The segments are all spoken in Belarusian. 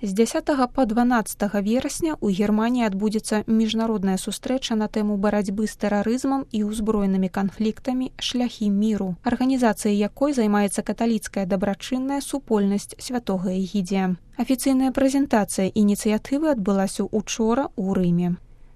З 10 па 12 верасня ў Германіі адбудзецца міжнародная сустрэча на тэму барацьбы з тэрарызмам і ўзброенымі канфліктамі «Шляхі міру», арганізацыяй якой займаецца каталіцкая дабрачынная супольнасць святога Эгідзія. Афіцыйная прэзентацыя ініцыятывы адбылася учора ў Рыме.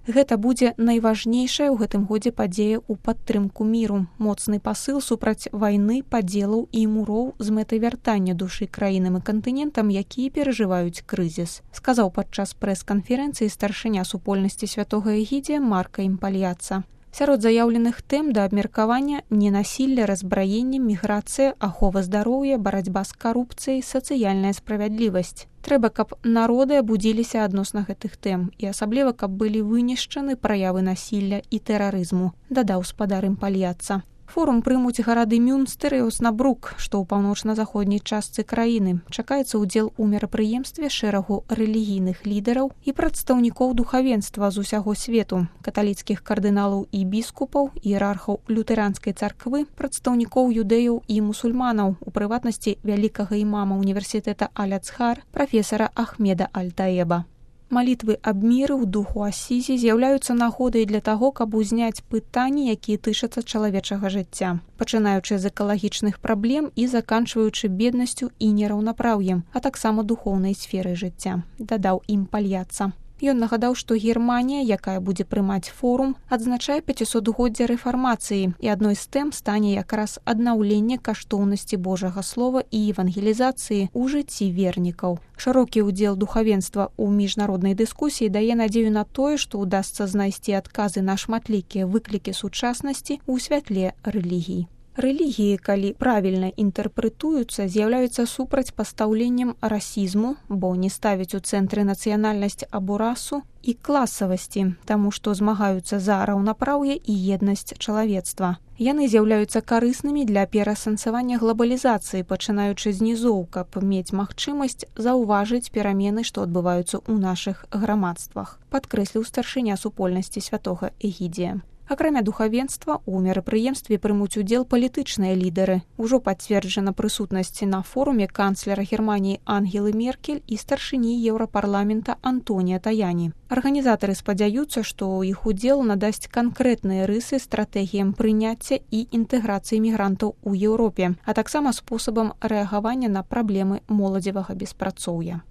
Гэта будзе найважнейшая ў гэтым годзе падзея ў падтрымку міру, моцны пасыл супраць вайны, падзелаў і муроў з мэтай вяртання душы краінам і кантынентам, якія перажываюць крызіс, сказаў падчас прэс-канферэнцыі старшыня супольнасці святога Эгідзія Марка Імпальяца. Сярод заяўленых тэм да абмеркавання ненасілля, разбраенне, міграцыя, ахова здароўя, барацьба з карупцыяй, сацыяльная справядлівасць. Трэба, каб народы абудзіліся адносна гэтых тэм і асабліва, каб былі вынішчаны праявы насілля і тэрарызму, дадаў спадар Імпальяца. Форум прымуць гарады Мюнстэр і Оснабрук, што ў паўночна-заходняй частцы краіны. Чакаецца ўдзел у мерапрыемстве шэрагу рэлігійных лідараў і прадстаўнікоў духавенства з усяго свету, каталіцкіх кардыналаў і біскупаў, іерархаў лютэранскай царквы, прадстаўнікоў юдэяў і мусульманаў, у прыватнасці вялікага імама універсітэта Аль-Ацхар, прафесара Ахмеда Аль-Таеба. Малітвы аб міры ў духу Асізі з'яўляюцца нагодай для таго, каб узняць пытанні, якія тычацца чалавечага жыцця, пачынаючы з экалагічных праблем і заканчваючы беднасцю і нераўнапраўем, а таксама духоўнай сферай жыцця, дадаў Імпальяца. Ён нагадаў, што Германія, якая будзе прымаць форум, адзначае 500-годдзе рэфармацыі, і адной з тэм стане якраз аднаўленне каштоўнасці Божага слова і евангелізацыі ў жыцці вернікаў. Шырокі ўдзел духавенства ў міжнароднай дыскусіі дае надзею на тое, што ўдасца знайсці адказы на шматлікія выклікі сучаснасці ў святле рэлігій. Рэлігіі, калі правільна інтэрпрэтуюцца, з'яўляюцца супрацьпастаўленнем расізму, бо не ставяць у цэнтры нацыянальнасць або расу, і класавасці, таму што змагаюцца за раўнапраўе і еднасць чалавецтва. Яны з'яўляюцца карыснымі для пераасэнсавання глабалізацыі, пачынаючы з нізоў, каб мець магчымасць заўважыць перамены, што адбываюцца ў нашых грамадствах, падкрэсліў старшыня супольнасці святога Эгідзія. Акрамя духавенства, у мерапрыемстве прымуць удзел палітычныя лідары. Ужо пацверджана прысутнасць на форуме канцлера Германіі Ангелы Меркель і старшыні Еўрапарламента Антонія Таяні. Арганізатары спадзяюцца, што іх удзел надасць канкрэтныя рысы стратэгіям прыняцця і інтэграцыі мігрантаў у Еўропе, а таксама спосабам рэагавання на праблемы моладзевага беспрацоўя.